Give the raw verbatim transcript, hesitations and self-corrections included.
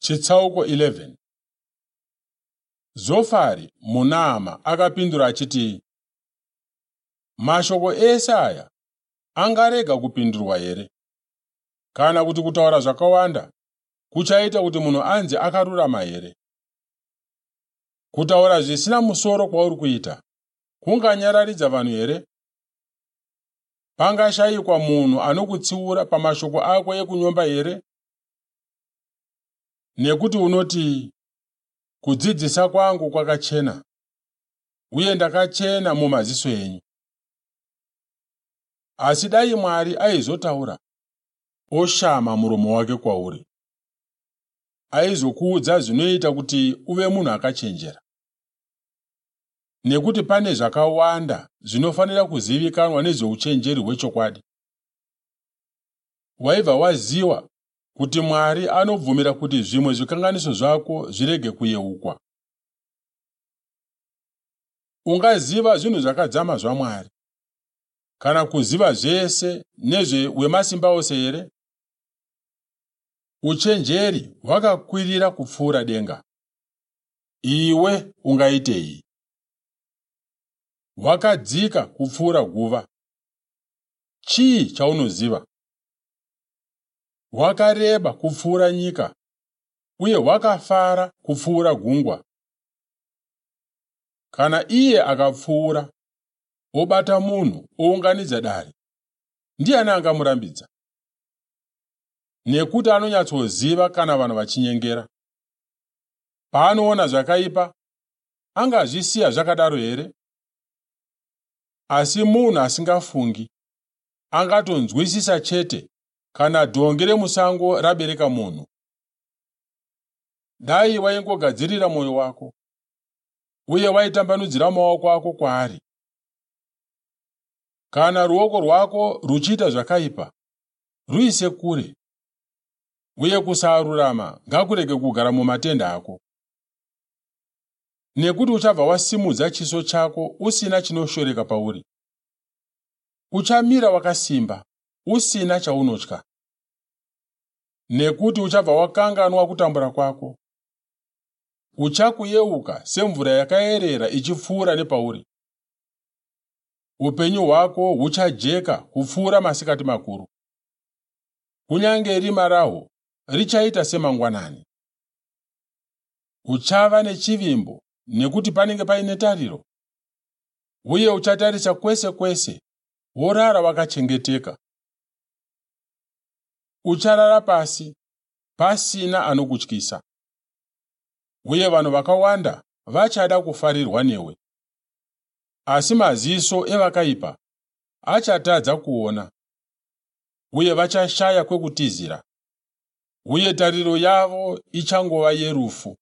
Chitsauko eleven. Zofari muNaama akapindura achiti, "Mashoko ese aya angarega kupindurwa here? Kana kuti kutaura zvakawanda kuchaita kuti munhu anzi akarurama here? Kutaura zvisina musoro kwauri kuita kunganyararidza vanhu here? Pangashayikwa munhu anokutsiura pamashoko ako ekunyomba here? Nekuti unoti, 'Kudzidzisa kwangu kwakachena, uye ndakachena mumaziso enyu.' Asi dai Mwari aizotaura, oshama muromo wake kwauri, aizokuudza zvinoita kuti uve munhu akachenjera. Nekuti pane zvakawanda zvinofanira kuzivikanwa nezveuchenjeri hwechokwadi. Waibva waziva kuti Mwari anobvumira kuti zvimwe zvikanganiso zvako zvirege kuyeukwa. Ungaziva zvinhu zvakadzama zvaMwari, kana kuziva zvese nezvewemasimba ose here? Uchenjeri hwakakwirira kupfuura denga. Iwe ungaitei? Hwakadzika kupfuura guva. Chii chaunoziva? Hwakareba kupfuura nyika, uye hwakafara kupfuura gungwa. Kana iye akapfuura, obata munhu ounganidza dare, ndiani angamurambidza? Nekuti anonyatsoziva kana vanhu vachinyengera. Paanoona zvakaipa, angazvisiya zvakadaro here? Asi munhu asingafungi angatonzwisisa chete kana dhongi remusango rabereka munhu. Dai waingogadzirira mwoyo wako, uye waitambanudzira maoko ako kwaari. Kana ruoko rwako ruchiita zvakaipa, ruise kure, uye kusarurama ngakurege kugara mumatende ako. Nekuti uchabva wasimudza chiso chako usina chinoshoreka pauri. Uchamira wakasimba, usina chaunotya. Nekuti uchabva wakanganwa kutambura kwako. Uchakuyeuka semvura yakayerera ichipfuura nepauri. Upenyu hwako huchajeka kupfuura masikati makuru. Kunyange rima rahwo richaita semangwanani. Uchava nechivimbo nekuti panenge paine tariro, uye uchatarisa kwese kwese worara wakachengeteka. Ucharara pasi pasina anokutyisa, uye vanhu vakawanda vachada kufarirwa newe. Asi maziso evakaipa achatadza kuona, uye vachashaya kwekutizira, uye tariro yavo ichangova yerufu.